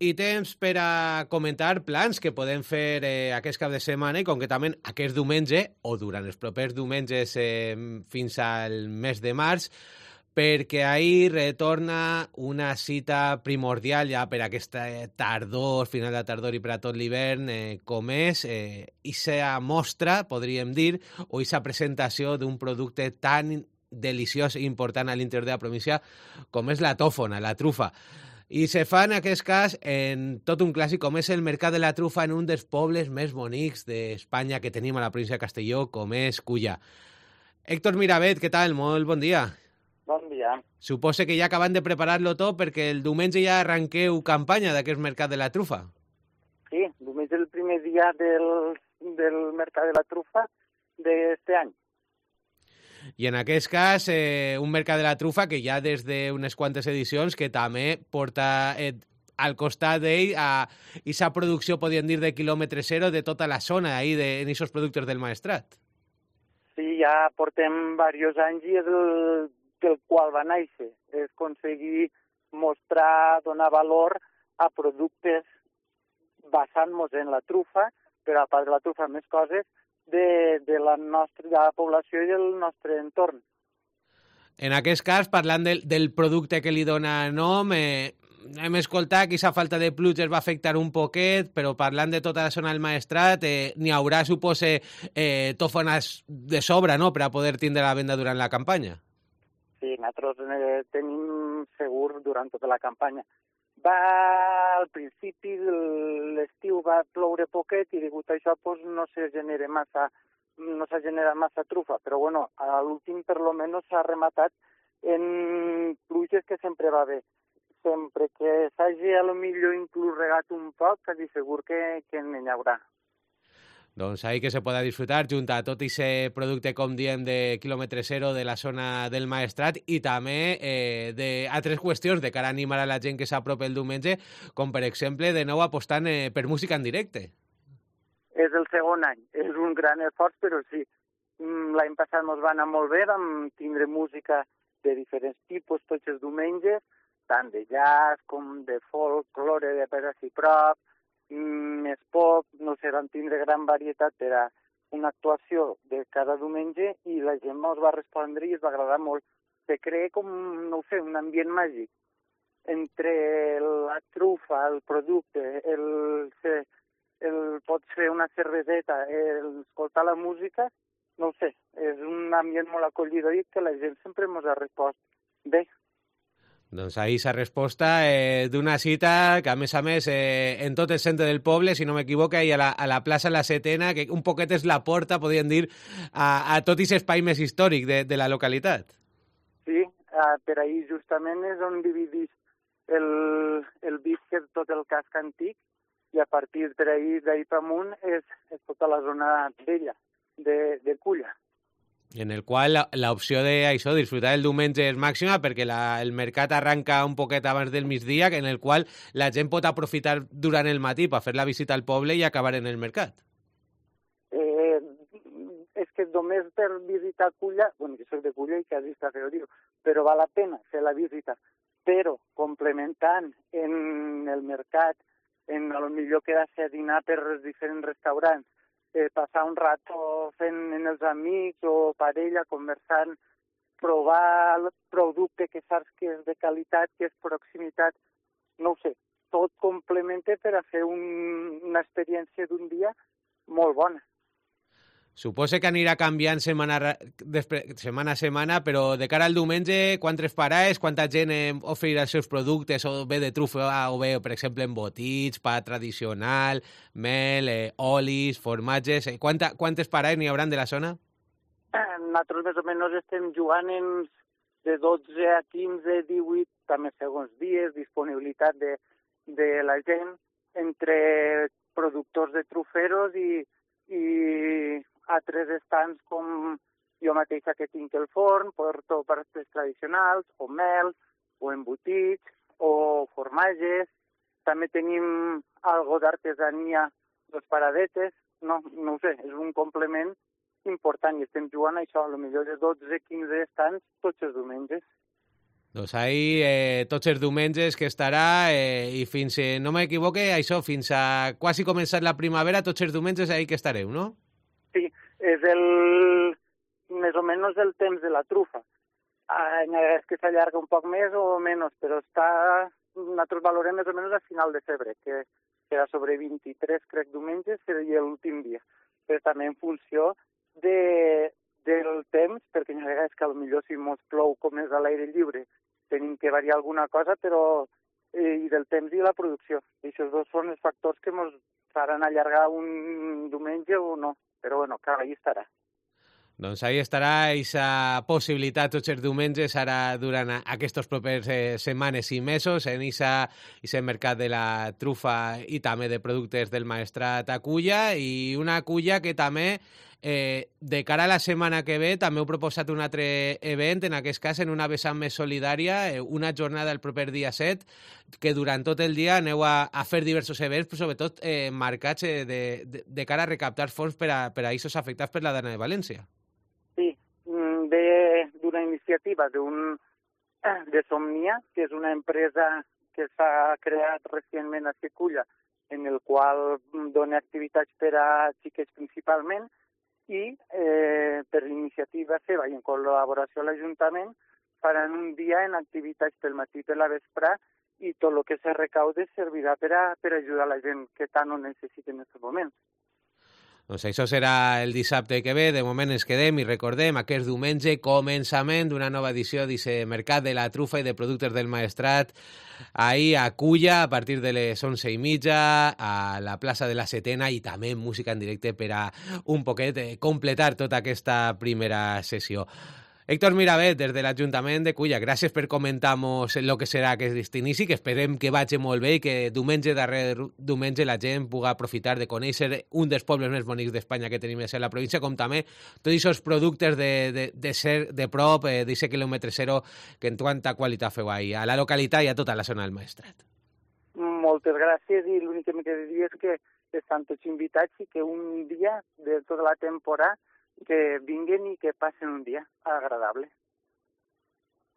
I temps per a comentar plans que podem fer aquest cap de setmana i concretament aquest diumenge o durant els propers diumenges fins al mes de març, perquè ahir retorna una cita primordial ja per aquesta tardor, final de tardor i per a tot l'hivern, com és ixa mostra, podríem dir, o ixa presentació d'un producte tan deliciós i important a l'interior de la província com és la tòfona, la trufa. I se fa en aquest cas en tot un clàssic com és el Mercat de la Trufa en un dels pobles més bonics d'Espanya que tenim a la província de Castelló, com és Culla. Héctor Miravet, què tal? Molt bon dia. Bon dia. Suposo que ja acaben de preparar-lo tot perquè el diumenge ja arranqueu campanya d'aquest Mercat de la Trufa. Sí, diumenge és el primer dia del Mercat de la Trufa d'este any. I en aquest cas, un Mercat de la Trufa que ja des d'unes quantes edicions que també porta al costat d'ell a aquesta producció, podríem dir, de quilòmetre zero de tota la zona ahí en aquests productes del Maestrat. Sí, ja portem diversos anys i és del qual va néixer. És aconseguir mostrar, donar valor a productes basant-nos en la trufa, però a part de la trufa més coses, de la població i del nostre entorn. En aquest cas, parlant del producte que li dona nom, hem escoltat que aquesta falta de pluges va afectar un poquet, però parlant de tota la zona del Maestrat, n'hi haurà, supose, tòfones de sobra, no?, per a poder tindre la venda durant la campanya. Sí, nosaltres tenim segur durant tota la campanya. Al principi de l'estiu va ploure poquet i degut a això no s'ha generat massa trufa, però bueno, a l'últim per lo menos s'ha rematat en pluges que sempre va bé. Sempre que s'hagi a lo millor inclús regat un poc, quasi segur que n'hi haurà. Doncs ahí que se pueda disfrutar junt a tot aquest producte, com diem, de quilòmetre zero de la zona del Maestrat i també d'altres qüestions de cara a animar a la gent que s'apropa el diumenge, com per exemple de nou apostant per música en directe. És el segon any, és un gran esforç, però sí. L'any passat ens va anar molt bé, vam tindre música de diferents tipus tots els diumenges, tant de jazz com de folklore, de per ací prop, més pop, no sé, vam tindre gran varietat per a una actuació de cada diumenge i la gent ens va respondre i es va agradar molt. Se crea com, no sé, un ambient màgic entre la trufa, el producte, pot ser una cerveseta, escoltar la música, no sé, és un ambient molt acollidor i que la gent sempre ens ha respost bé. Doncs ahí s'ha resposta d'una cita que, a més, en tot el centre del poble, si no m'equivoco, i a la plaça La Setena, que un poquet és la porta, podríem dir, a tot aquest espai més històric de la localitat. Sí, per ahir justament és on dividís el Visc, tot el casc antic, i a partir d'ahir per amunt és tota la zona vella de Culla. En el qual l'opció d'això, disfrutar el diumenge és màxima perquè el mercat arranca un poquet abans del migdia, en el qual la gent pot aprofitar durant el matí per fer la visita al poble i acabar en el mercat. És que només per visitar Culla, bueno, que soc de Culla i quasi està feo dir, però val la pena fer la visita, però complementant en el mercat, a lo millor quedar-se a dinar per els diferents restaurants, passar un rato fent en els amics o parella, conversant, provar el producte que saps que és de qualitat, que és proximitat, no ho sé, tot complementa per a fer una experiència d'un dia molt bona. Supose que anirà canviant setmana a setmana, però de cara al diumenge, quantes parades, quanta gent oferirà els seus productes, o bé de trufa, o bé, per exemple, embotits, pa tradicional, mel, olis, formatges... Quantes parades n'hi hauran de la zona? Nosaltres més o menys estem jugant de 12 a 15, 18, també segons dies, disponibilitat de la gent, entre productors de truferos i altres estants com jo mateixa que tinc el forn, porto pastes tradicionals, o mel, o embotits, o formatges. També tenim algo d'artesania, les paradetes, no ho sé, és un complement important i estem jugant a això, a lo millor de 12-15 estants tots els diumenges. Doncs ahir, tots els diumenges que estarà, i fins, no m'equivoque, això, fins a quasi començar la primavera, tots els diumenges ahir que estareu, no? Sí, és més o menys el temps de la trufa. És que s'allarga un poc més o menys, però nosaltres valorem més o menys a final de febrer, que serà sobre 23, crec, diumenges, seria l'últim dia. Però també en funció del temps, perquè hi ha vegades que potser si mos plou com és a l'aire lliure, tenim que variar alguna cosa, però i del temps i la producció. I aquests dos són els factors que ens faran allargar un diumenge o no. Però bueno, clar, ahí estarà. Doncs ahí estarà aquesta possibilitat tots els diumenges ara durant aquests propers setmanes i mesos en aquest mercat de la trufa i també de productes del Maestrat a Culla, i una Culla que també de cara a la setmana que ve també heu proposat un altre event, en aquest cas en una vessant més solidària, una jornada el proper dia 7, que durant tot el dia aneu a fer diversos events, però sobretot marcats de cara a recaptar fons per a aquests afectats per la Dana de València. Sí, ve d'una iniciativa de Somnia, que és una empresa que s'ha creat recentment a Culla, en el qual dona activitats per a xiquets principalment, i per iniciativa seva i en col·laboració amb l'Ajuntament faran un dia en activitats pel matí i per la vesprà, i tot el que se recaude servirà per ajudar la gent que tant ho necessita en aquests moments. Doncs això serà el dissabte que ve. De moment ens quedem i recordem aquest diumenge començament d'una nova edició d'aquest mercat de la trufa i de productes del Maestrat ahir a Culla a partir de les 11:30 a la plaça de la Setena, i també música en directe per a un poquet completar tota aquesta primera sessió. Héctor Miravet, des de l'Ajuntament de Culla, gràcies per comentar-nos el que serà aquest inici, que esperem que vagi molt bé i que diumenge darrere diumenge la gent pugui aprofitar de conèixer un dels pobles més bonics d'Espanya que tenim a la província, com també tots aquests productes de ser de prop, d'aquest quilòmetre zero, que en quanta qualitat feu ahir, a la localitat i a tota la zona del Maestrat. Moltes gràcies, i l'únic que m'he de dir és que estan tots invitats i que un dia de tota la temporada que vinguen i que passen un dia agradable.